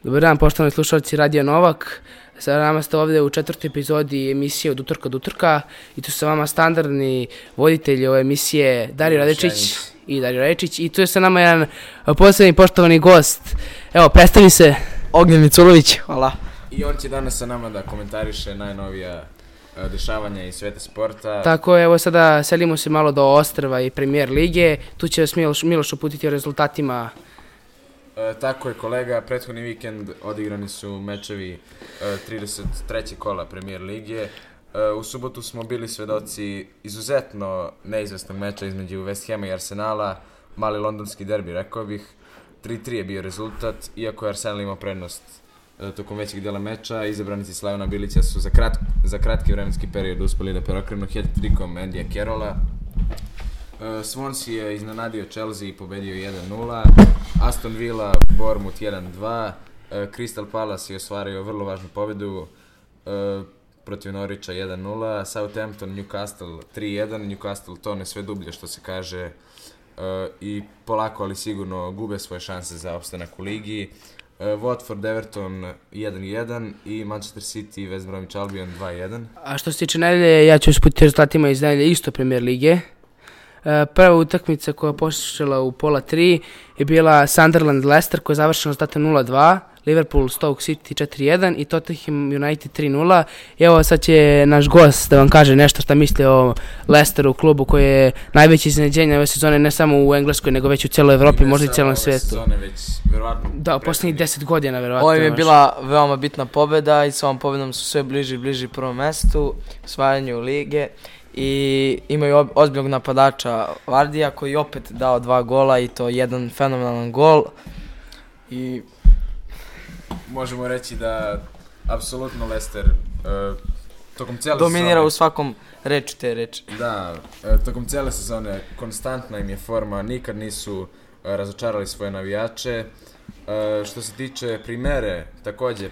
Dobar dan, poštovani slušalci Radio Novak. Sa nama ste ovdje u 4. epizodi emisije Od utorka do utorka i tu su sa vama standardni voditelji ove emisije Dario Radečić i Dario Radečić i tu je sa nama jedan posebni poštovani gost. Evo, predstavi se. Ognjen Miculović, hvala. I on će danas sa nama da komentariše najnovija dešavanja iz sveta sporta. Tako, evo sada selimo se malo do Ostrva i Premier lige. Tu će vas Miloš uputiti o rezultatima. Tako je, kolega, prethodni vikend odigrani su mečevi 33. kola Premier lige. U subotu smo bili svedoci izuzetno neizvesnog meča između West Hama i Arsenala, mali londonski derbi, rekao bih. 3-3 je bio rezultat, iako je Arsenal imao prednost tokom većeg dela meča. Izabranici Slavona Bilića su za kratki vremenski period uspeli da preokrenu hat-trickom Andyja Carrolla. Swansea je iznenadio Chelsea i pobedio 1-0, Aston Villa Bournemouth 1-2, Crystal Palace je ostvario vrlo važnu pobedu protiv Norwicha 1-0, Southampton Newcastle 3-1, Newcastle tone sve dublje što se kaže i polako ali sigurno gube svoje šanse za opstanak u ligi. Watford Everton 1-1 i Manchester City West Bromwich Albion 2-1. A što se tiče nedelje, ja ću usputiti rezultatima iz nedelje isto Premier lige. Prva utakmica koja je počela u pola 3 je bila Sunderland Leicester koja je završena rezultatom 0-2, Liverpool Stoke City 4-1 i Tottenham United 3-0. I evo sad će naš gost da vam kaže nešto šta misli o Leicesteru, klubu koji je najveće iznenađenje ove sezone ne samo u Engleskoj nego već u cijeloj Evropi, možda i cijelom svijetu. Sezone već verovatno. Da, u posljednjih 10 godina verovatno. Ovo im je bila veoma bitna pobjeda i sa ovom pobjedom su sve bliži prvom mjestu, osvajanju lige. I imaju ozbiljnog napadača Vardija koji je opet dao 2 gola i to jedan fenomenalan gol. I možemo reći da apsolutno Leicester tokom cijele dominira sezone, u svakom reču te reči. Da, tokom cijele sezone konstantna im je forma, nikad nisu razočarali svoje navijače. Što se tiče primere, također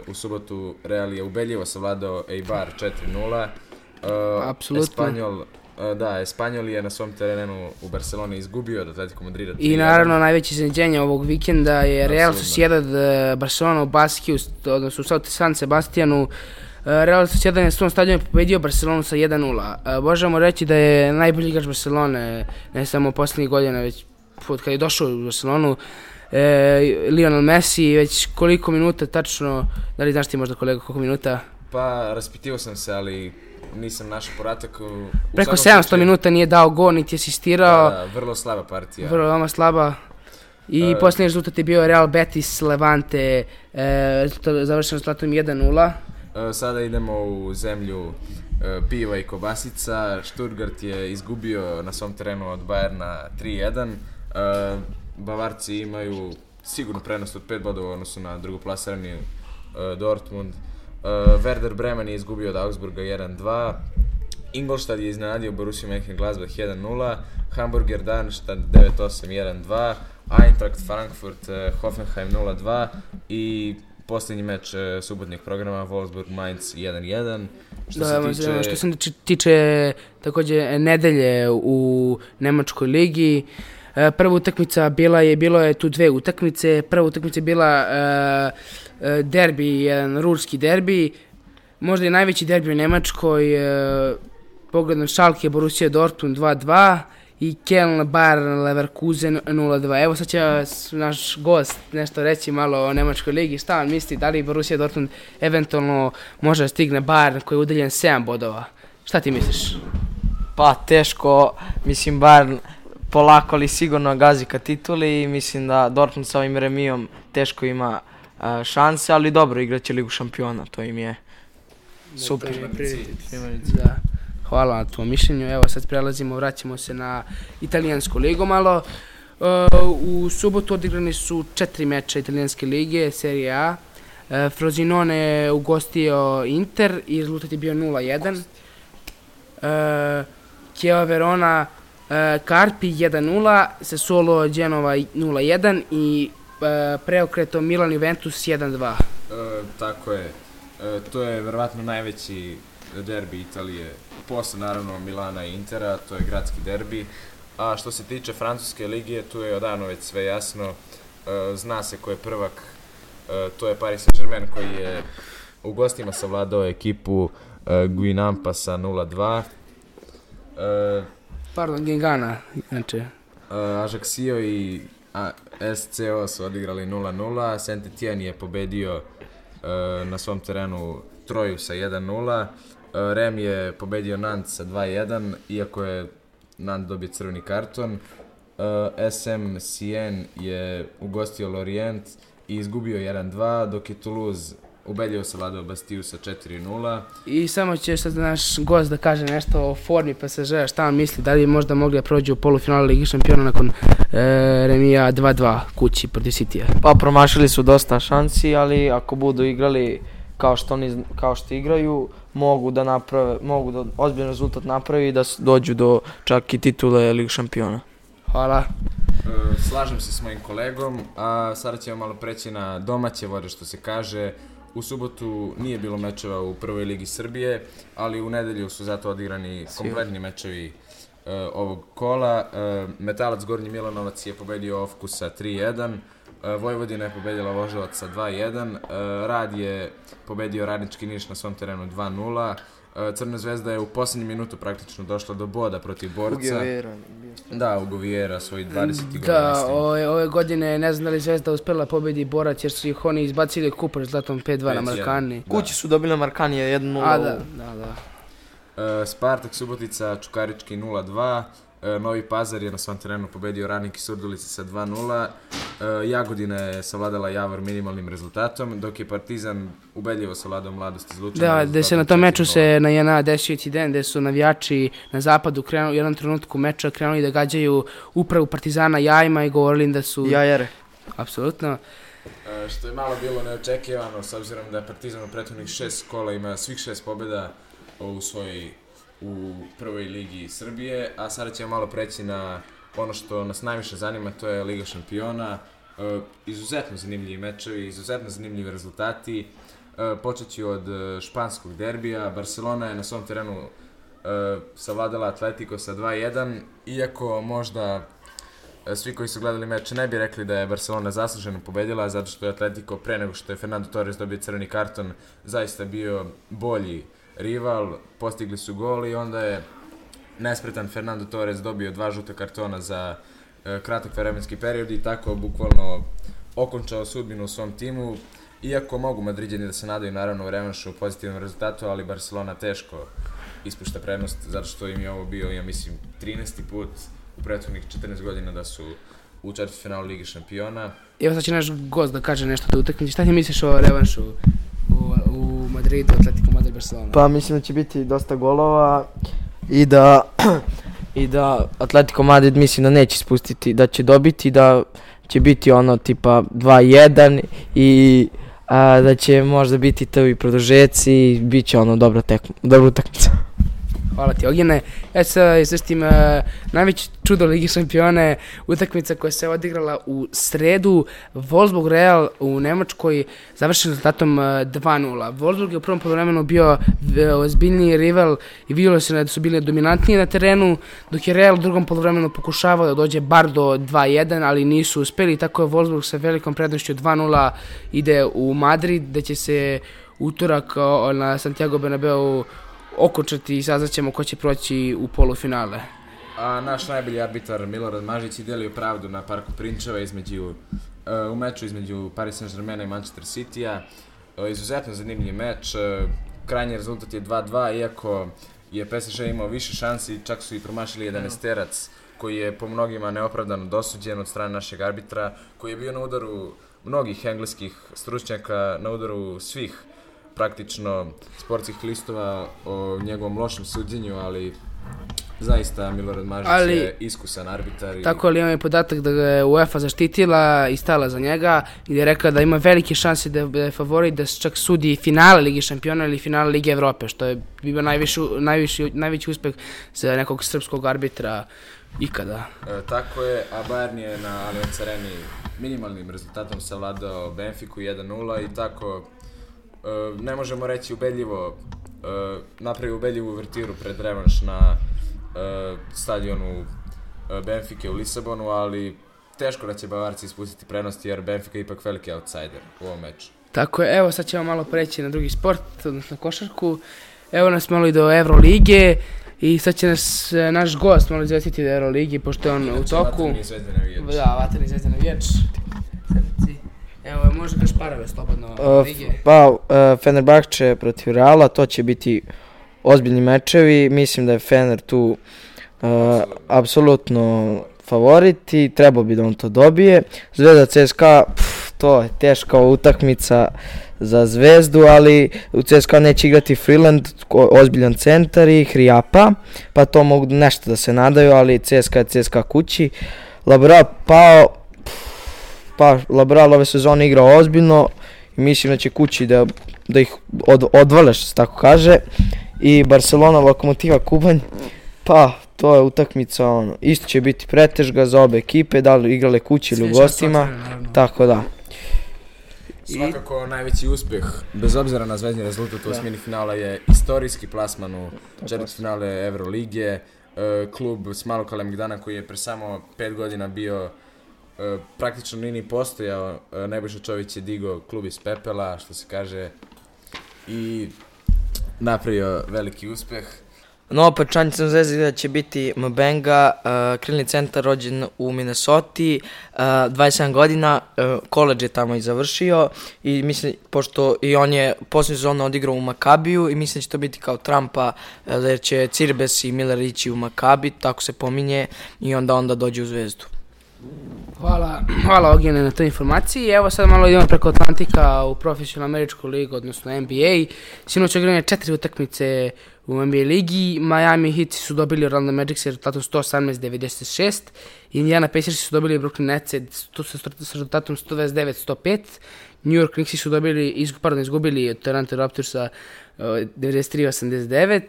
u subotu Real je ubedljivo savladao Eibar 4-0. Apsolutno. Espanjol je na svom terenu u Barceloni izgubio od Atletico Madrida 3-1. I naravno najveće iznenađenje ovog vikenda je Real Sociedad Barcelona u Baskiju, odnosno u San Sebastianu. Real Sociedad je na svom stadionu pobedio Barcelonu sa 1-0. Možemo reći da je najbolji igrač Barcelone, ne samo posljednjih godina, već kad je došao u Barcelonu, Lionel Messi. Već koliko minuta tačno, da li znaš ti možda kolega koliko minuta? Pa raspitivao sam se, ali nisam našao podatak. Preko 700 minuta nije dao gol, niti asistirao. Da, vrlo slaba partija. Vrlo slaba. I posljednji rezultat je bio Real Betis Levante, završen rezultatom 1-0. Sada idemo u zemlju piva i kobasica. Stuttgart je izgubio na svom terenu od Bayerna 3-1. Bavarci imaju sigurno prednost od 5 bodova u odnosu na drugoplasirani Dortmund. Werder Bremen je izgubio od Augsburga 1-2. Ingolstadt je iznenadio Borussia Mönchengladbach 1-0. Hamburger Darmstadt 9-8 1-2. Eintracht Frankfurt Hoffenheim 0-2 i posljednji meč subotnjeg programa Wolfsburg Mainz 1-1. Što se tiče također nedelje u Nemačkoj ligi, prva utakmica bilo je tu 2 utakmice. Prva utakmica je bila derbi, jedan ruski derbi, možda i najveći derbi u Nemačkoj. Pogledam Schalke Borussia Dortmund 2-2 i Köln Bayer Leverkusen 0-2. Evo sad će naš gost nešto reći malo o Nemačkoj ligi. Šta vam misli, da li Borussia Dortmund eventualno može da stigne Bayern koji je udaljen 7 bodova? Šta ti misliš? Pa teško, mislim Bayern polako ali sigurno gazi ka tituli i mislim da Dortmund sa ovim remijom teško ima šanse, ali dobro, igraće Ligu šampiona, to im je super. Da. Hvala na tvom mišljenju. Evo sad vraćamo se na italijansku ligu malo. U subotu odigrani su 4 meča italijanske lige, Serie A. Frosinone je ugostio Inter i rezultat je bio 0-1. Chievo Verona Carpi 1-0, Sassuolo Genova 0-1 i preokreto Milan Juventus 1-2. Tako je. To je verovatno najveći derbi Italije, posle naravno Milana i Intera, to je gradski derbi. A što se tiče francuske lige, tu je odavno već sve jasno. Zna se ko je prvak To je Paris Saint-Germain koji je u gostima savladao ekipu Guingampa sa 0-2. Pardon, Gengana, znači. Ajaccio i SCO su odigrali 0-0. Saint-Étienne je pobedio na svom terenu Troju sa 1-0. Rem je pobedio Nantes sa 2-1, iako je Nantes dobio crveni karton. SM Sien je ugostio Lorient i izgubio 1-2, dok je Toulouse ubedljivo savladao Bastiju sa 4-0. I samo će sad naš gost da kaže nešto o formi PSG-a, šta on misli, da li možda mogli da prođu u polufinalu Ligi šampiona nakon remija 2-2 kući protiv Citya? Pa promašili su dosta šansi, ali ako budu igrali kao što igraju, mogu da ozbiljan rezultat napravi i da dođu do čak i titule Lige šampiona. Hvala. Slažem se s mojim kolegom, a sada ćemo malo preći na domaće vode, što se kaže. U subotu nije bilo mečeva u prvoj ligi Srbije, ali u nedelju su zato odigrani kompletni mečevi ovog kola. Metalac Gornji Milanovac je pobedio Ofku sa 3-1, Vojvodina je pobedila Voždovac sa 2-1, Rad je pobedio Radnički Niš na svom terenu 2-0, Crna zvezda je u posljednjem minutu praktično došla do boda protiv Borca. U Govijera, svoj 20. gol. Da, ove godine ne znam da li Zvezda uspela pobedi Borac jer su ih oni izbacili kupač zlatom 5-2 na Markani. Kući su dobili na Markani 1-0. Da. Spartak Subotica Čukarički 0-2. Novi Pazar je na svom terenu pobedio Radnik i Surdulici sa 2-0. Jagodina je savladala Javor minimalnim rezultatom, dok je Partizan ubedljivo savladao Mladost iz Lučana. Da, gde se na tom meču se na JNA desio incident gde su navijači na zapadu u jednom trenutku meča krenuli da gađaju upravu Partizana jajima i govorili im da su... Jajere. Apsolutno. Što je malo bilo neočekivano, s obzirom da je Partizan u prethodnih 6 kola ima svih 6 pobjeda u prvoj ligi Srbije, a sada ćemo malo preći na ono što nas najviše zanima, to je Liga šampiona. Izuzetno zanimljivi mečevi, izuzetno zanimljivi rezultati. Počet ću od španskog derbija. Barcelona je na svom terenu savladala Atletico sa 2-1, iako možda svi koji su gledali meč ne bi rekli da je Barcelona zasluženo pobedila, zato što je Atletico pre nego što je Fernando Torres dobio crveni karton zaista bio bolji rival, postigli su gol i onda je nespretan Fernando Torres dobio 2 žuta kartona za kratak vremenski period i tako bukvalno okončao sudbinu u svom timu. Iako mogu Madriđani da se nadaju naravno u revanšu u pozitivnom rezultatu, ali Barcelona teško ispušta prednost zato što im je ovo bio, ja mislim, 13. put u prethodnih 14 godina da su u četvrtfinalu Lige šampiona. Evo sad će naš gost da kaže nešto o utakmici. Šta ti misliš o revanšu u Madridu, Atletico Madrid, Barcelona? Pa mislim da će biti dosta golova i da Atletico Madrid mislim da neće spustiti, da će dobiti, da će biti ono tipa 2-1 i da će možda biti prvi produžeci i bit će ono dobra utakmica. Hvala ti, Ognjene. Ja se izvestim najveći čudo Ligi šampione, utakmica koja se odigrala u sredu. Wolfsburg Real u Nemačkoj završen rezultatom 2-0. Wolfsburg je u prvom poluvremenu bio ozbiljniji rival i vidjelo se da su bili dominantniji na terenu, dok je Real u drugom poluvremenu pokušavao da dođe bar do 2-1, ali nisu uspeli. Tako je Wolfsburg sa velikom prednošću 2-0 ide u Madrid, gde će se utorak na Santiago Bernabeu okončati i saznaćemo ko će proći u polufinale. A naš najbolji arbitar Milorad Mažić je delio pravdu na Parku Prinčeva u meču između Paris Saint-Germaina i Manchester Citya. Izuzetno zanimljiv meč, krajnji rezultat je 2-2, iako je PSG imao više šansi, čak su i promašili 11-terac koji je po mnogima neopravdano dosuđen od strane našeg arbitra, koji je bio na udaru mnogih engleskih stručnjaka, na udaru svih praktično sportskih listova o njegovom lošem suđenju, ali zaista Milorad Mažić je iskusan arbitar. Tako ali imam je podatak da ga je UEFA zaštitila i stala za njega i da je rekla da ima velike šanse da je favorit da čak sudi finale Lige šampiona ili finale Lige Evrope, što je bio najveći uspeh za nekog srpskog arbitra ikada. Tako je, a Bayern je na Allianz Areni minimalnim rezultatom savladao Benfiku 1-0 i tako ne možemo reći ubedljivo, napravi ubedljivu uvertiru pred revanš na stadionu Benfike u Lisabonu, ali teško da će Bavarci ispustiti prednosti jer Benfica je ipak veliki outsider u ovom meču. Tako je, evo sad ćemo malo preći na drugi sport, odnosno košarku. Evo nas malo i do Evrolige i sad će nas naš gost malo izvestiti do Euroligi, pošto je on u toku. Vatreni Zvezdin navijač. Da, Vatreni Zvezdin navijač. Evo, može da šparave slobodno lige. Fenerbahče protiv Reala, to će biti ozbiljni mečevi. Mislim da je Fener tu apsolutno favorit i trebao bi da on to dobije. Zvezda CSKA, to je teška utakmica za Zvezdu, ali u CSKA neće igrati Freeland, ozbiljan centar i Hrijapa, pa to mogu nešto da se nadaju, ali CSKA je CSKA kući. Laboral Laboral ove sezone igrao ozbiljno i mislim da će kući da ih odvale, što se tako kaže. I Barcelona Lokomotiva Kubanj, pa to je utakmica, isto će biti pretežga za obe ekipe, da li igrale kući ili u gostima, tako da. Svakako najveći uspjeh, bez obzira na zvezdni rezultat u osmini finala, je istorijski plasman u četvrtfinale Evrolige. Klub s Malog Kalemegdana koji je pre samo 5 godina bio praktično ni postojao, Nebojša Čović je digao klub iz pepela, što se kaže, i napravio veliki uspjeh. No, opet članicom Zvezde će biti Mbenga, krilni centar rođen u Minnesoti, 27 godina, koledž je tamo i završio i mislim, pošto i on je posljednju sezonu odigrao u Makabiju i mislim da će to biti kao Trumpa, jer će Cirbes i Miller ići u Makabi, tako se pominje, i onda dođe u Zvezdu. Hvala Ognjene na toj informaciji. Evo sad malo idemo preko Atlantika u profesionalnu američku ligu, odnosno NBA. Sinoć odigrane 4 utakmice u NBA ligi. Miami Heat su dobili Orlando Magic sa rezultatom 118-96. Indiana Pacers su dobili Brooklyn Nets sa rezultatom 129-105. New York Knicks su izgubili od Toronto Raptorsa 93-89.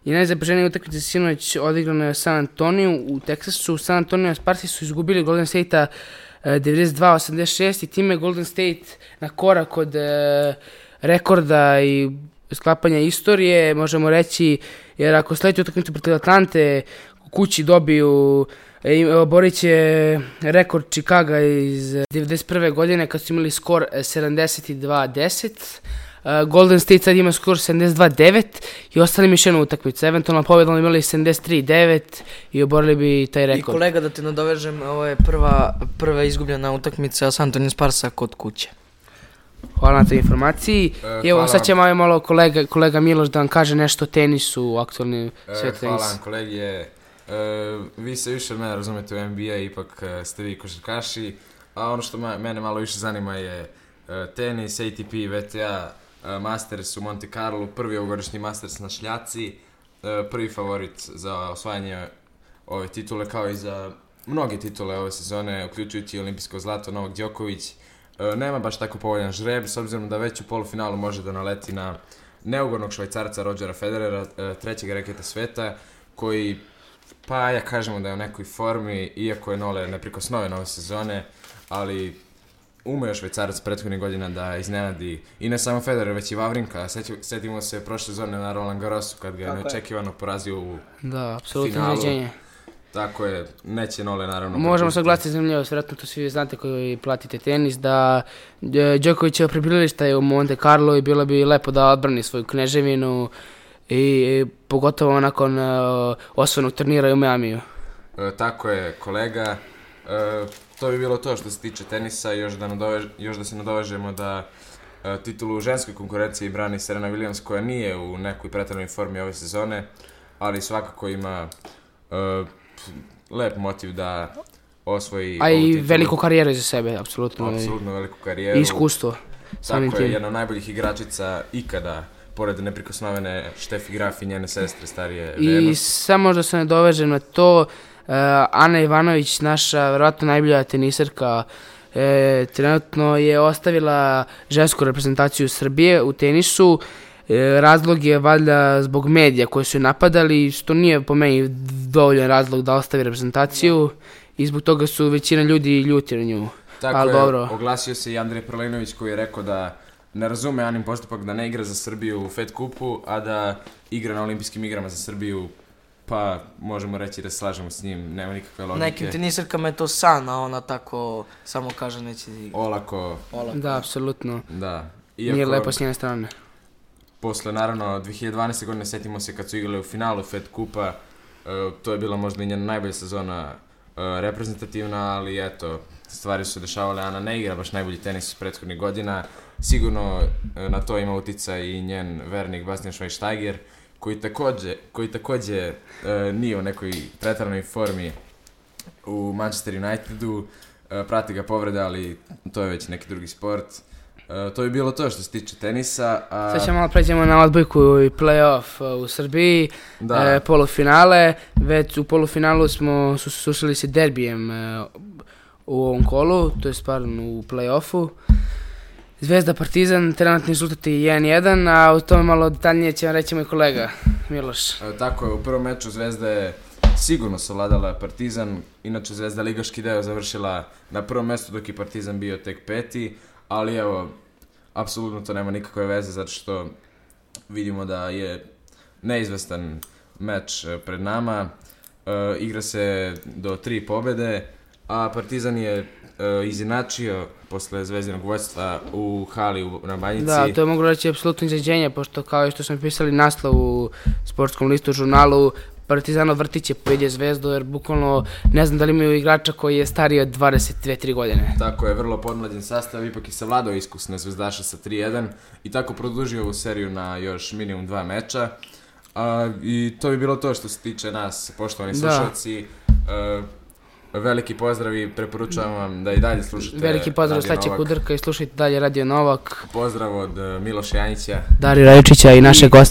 I najzapaženije utakmice sinoć odigrano je u San Antoniju u Teksasu. San Antonio Sparsi su izgubili Golden State-a 92-86 i time Golden State na korak od rekorda i sklapanja istorije, možemo reći, jer ako sledeću utakmicu protiv Atlante u kući dobiju, borit će rekord Chicaga iz 91. godine kad su imali skor 72-10. Golden State sad ima skor 72-9 i ostali mi još jednu utakmicu. Eventualno pobjedom imali 73-9 i oborili bi taj rekord. I kolega, da te nadovežem, ovo je prva izgubljena utakmica San Antonio Sparsa kod kuće. Hvala na toj informaciji. Evo sad će malo kolega Miloš da vam kaže nešto o tenisu u aktualnim svijetu tenisa. Hvala vam kolegi. Vi se više od mene razumete u NBA, ipak ste vi košarkaši, a ono što mene malo više zanima je tenis, ATP, VTA, Masters u Monte Carlo, prvi ovogodišnji Masters na šljaci, prvi favorit za osvajanje ove titule, kao i za mnoge titule ove sezone, uključujući olimpijsko zlato Novak Đoković. Nema baš tako povoljan žreb, s obzirom da već u polufinalu može da naleti na neugodnog Švajcarca Rodgera Federera, trećeg reketa sveta, koji, pa ja kažemo da je u nekoj formi, iako je Nole neprikosnoven ove sezone, ali umeo Švajcarac prethodnih godina da iznenadi i ne samo Federer, već i Wawrinka. Sjetimo se prošle sezone na Roland Garrosu kad ga je neočekivano porazio u finalu. Izređenje. Tako je, neće Nole naravno. Možemo se glasiti zanimljivost, vjerojatno to svi znate koji platite tenis, da Đokovićevo prebivalište je u Monte Carlo i bilo bi lepo da odbrani svoju kneževinu i pogotovo nakon osvojenog turnira u Miamiju. Tako je, kolega. To bi bilo to što se tiče tenisa, još da se nadovežemo da titulu u ženskoj konkurenciji brani Serena Williams, koja nije u nekoj pretjeranoj formi ove sezone, ali svakako ima lep motiv da osvoji ovu titulu. A i veliku karijeru iza sebe, apsolutno. Apsolutno veliku karijeru. I iskustvo. Tako je, jedna od najboljih igračica ikada, pored neprikosnovene Štefi Graf i njene sestre starije Venus. I samo da se ne dovežem na to, Ana Ivanović, naša vjerojatno najbolja tenisarka, trenutno je ostavila žensku reprezentaciju Srbije u tenisu. Razlog je valjda zbog medija koji su je napadali, što nije po meni dovoljan razlog da ostavi reprezentaciju i zbog toga su većina ljudi ljuti na nju. Tako je, dobro. Oglasio se i Andrej Prlinović koji je rekao da ne razume Anin postupak da ne igra za Srbiju u Fed Kupu, a da igra na olimpijskim igrama za Srbiju Pa, možemo reći da se slažemo s njim, nema nikakve logike. Nekim tenisarkama je to san, a ona tako samo kaže neće da igra. Olako. Da, apsolutno. Da. Nije lepo s njene strane. Posle, naravno, 2012. godine setimo se kad su igrali u finalu Fed Kupa, to je bila možda i njena najbolja sezona reprezentativna, ali eto, stvari su se dešavale, Ana ne igra baš najbolji tenis u prethodnih godina. Sigurno na to ima uticaj i njen vernik Bastian Schweinsteiger, koji takođe nije u nekoj pretaranoj formi u Manchester Unitedu, prati ga povreda, ali to je već neki drugi sport. To je bilo to što se tiče tenisa. Sad ćemo malo pređemo na odbojku i play-off u Srbiji, polufinale. Već u polufinalu smo susreli se derbijem u ovom kolu, to je pardon u play-offu. Zvezda Partizan, trenutni rezultati 1-1, a o tome malo detaljnije će vam reći moj kolega Miloš. Tako je, u prvom meču Zvezda je sigurno savladala Partizan, inače Zvezda ligaški deo završila na prvom mestu dok je Partizan bio tek 5. Ali evo, apsolutno to nema nikakve veze zato što vidimo da je neizvestan meč pred nama. Igra se do 3 pobede, a Partizan je izjednačio posle Zvezdinog vođstva u hali na Banjici. Da, to mogu reći apsolutno iznenađenje, pošto kao što smo pisali naslov u sportskom listu žurnalu, Partizanov vrtić je pobedio Zvezdu, jer bukvalno ne znam da li imaju igrača koji je stariji od 22-3 godine. Tako je, vrlo podmlađen sastav, ipak je savladao iskusne zvezdaše sa 3-1 i tako produžio ovu seriju na još minimum 2 meča. I to bi bilo to što se tiče nas, poštovani slušalci. Veliki pozdrav i preporučujem vam da i dalje slušate veliki pozdrav Staće Kudrka i slušajte dalje Radio Novak. Pozdrav od Miloša Janjića, Darija Rajičića i našeg gosta.